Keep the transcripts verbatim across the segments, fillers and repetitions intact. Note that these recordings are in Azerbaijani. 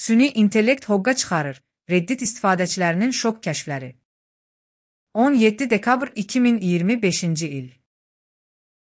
Süni intellekt hoqqa çıxarır. Reddit istifadəçilərinin şok kəşfləri. on yeddi dekabr iki min iyirmi beşinci il.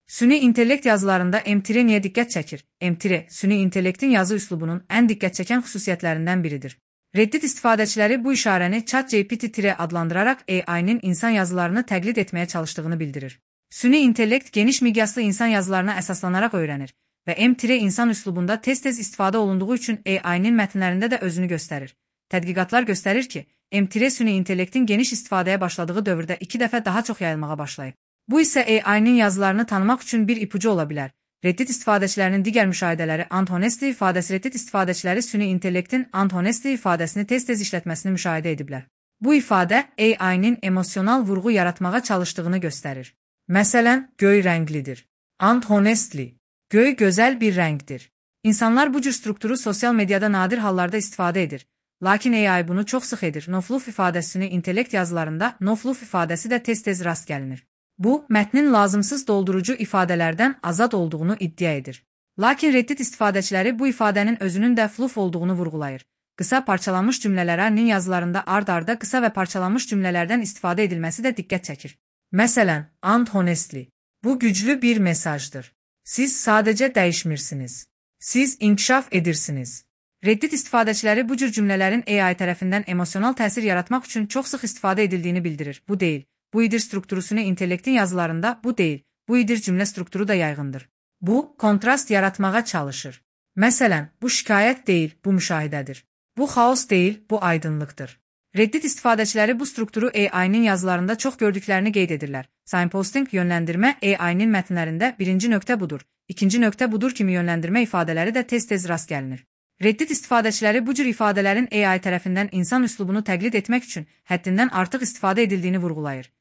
Süni intellekt yazılarında M T R niyə diqqət çəkir? M T R, süni intellektin yazı üslubunun ən diqqət çəkən xüsusiyyətlərindən biridir. Reddit istifadəçiləri bu işarəni ChatGPT adlandıraraq A I-nin insan yazılarını təqlid etməyə çalışdığını bildirir. Süni intellekt geniş miqyaslı insan yazılarına əsaslanaraq öyrənir və M T R insan üslubunda tez-tez istifadə olunduğu üçün A I-nin mətnlərində də özünü göstərir. Tədqiqatlar göstərir ki, M T R süni intellektin geniş istifadəyə başladığı dövrdə iki dəfə daha çox yayılmağa başlayıb. Bu isə A I-nin yazılarını tanımaq üçün bir ipucu ola bilər. Reddit istifadəçilərinin digər müşahidələri Ant-Honestly ifadəsi Reddit istifadəçiləri süni intellektin Ant-Honestly ifadəsini tez-tez işlətməsini müşahidə ediblər. Bu ifadə A I-nin emosional vurğu yaratmağa çalışdığını göstərir. Məsələn, göy rənglidir. Ant-Honestly. Göy gözəl bir rəngdir. İnsanlar bu cür strukturu sosial mediada nadir hallarda istifadə edir. Lakin A I bunu çox sıx edir. No-fluff ifadəsini intellekt yazılarında no-fluff ifadəsi də tez-tez rast gəlinir. Bu, mətnin lazımsız doldurucu ifadələrdən azad olduğunu iddia edir. Lakin Reddit istifadəçiləri bu ifadənin özünün də fluff olduğunu vurğulayır. Qısa parçalanmış cümlələrinin yazılarında ard-arda qısa və parçalanmış cümlələrdən istifadə edilməsi də diqqət çəkir. Məsələn, Ant-Honestly. Bu güclü bir mesajdır. Siz sadəcə dəyişmirsiniz. Siz inkişaf edirsiniz. Reddit istifadəçiləri bu cür cümlələrin A I tərəfindən emosional təsir yaratmaq üçün çox sıx istifadə edildiyini bildirir. Bu deyil. Bu idir strukturu süni intellektin yazılarında bu deyil. Bu idir cümlə strukturu da yaygındır. Bu, kontrast yaratmağa çalışır. Məsələn, bu şikayət deyil, bu müşahidədir. Bu xaos deyil, bu aydınlıqdır. Reddit istifadəçiləri bu strukturu A I-nin yazılarında çox gördüklərini qeyd edirlər. Signposting yönləndirmə A I-nin mətnlərində birinci nöqtə budur, ikinci nöqtə budur kimi yönləndirmə ifadələri də tez-tez rast gəlinir. Reddit istifadəçiləri bu cür ifadələrin A I tərəfindən insan üslubunu təqlid etmək üçün həddindən artıq istifadə edildiyini vurğulayır.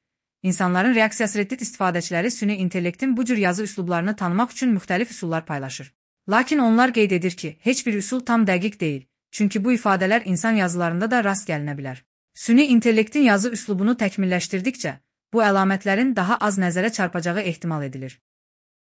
İnsanların reaksiyası Reddit istifadəçiləri süni intellektin bu cür yazı üslublarını tanımaq üçün müxtəlif üsullar paylaşır. Lakin onlar qeyd edir ki, heç bir üsul tam dəqiq deyil, çünki bu ifadələr insan yazılarında da rast gəlinə bilər. Süni intellektin yazı üslubunu təkmilləşdirdikcə, bu əlamətlərin daha az nəzərə çarpacağı ehtimal edilir.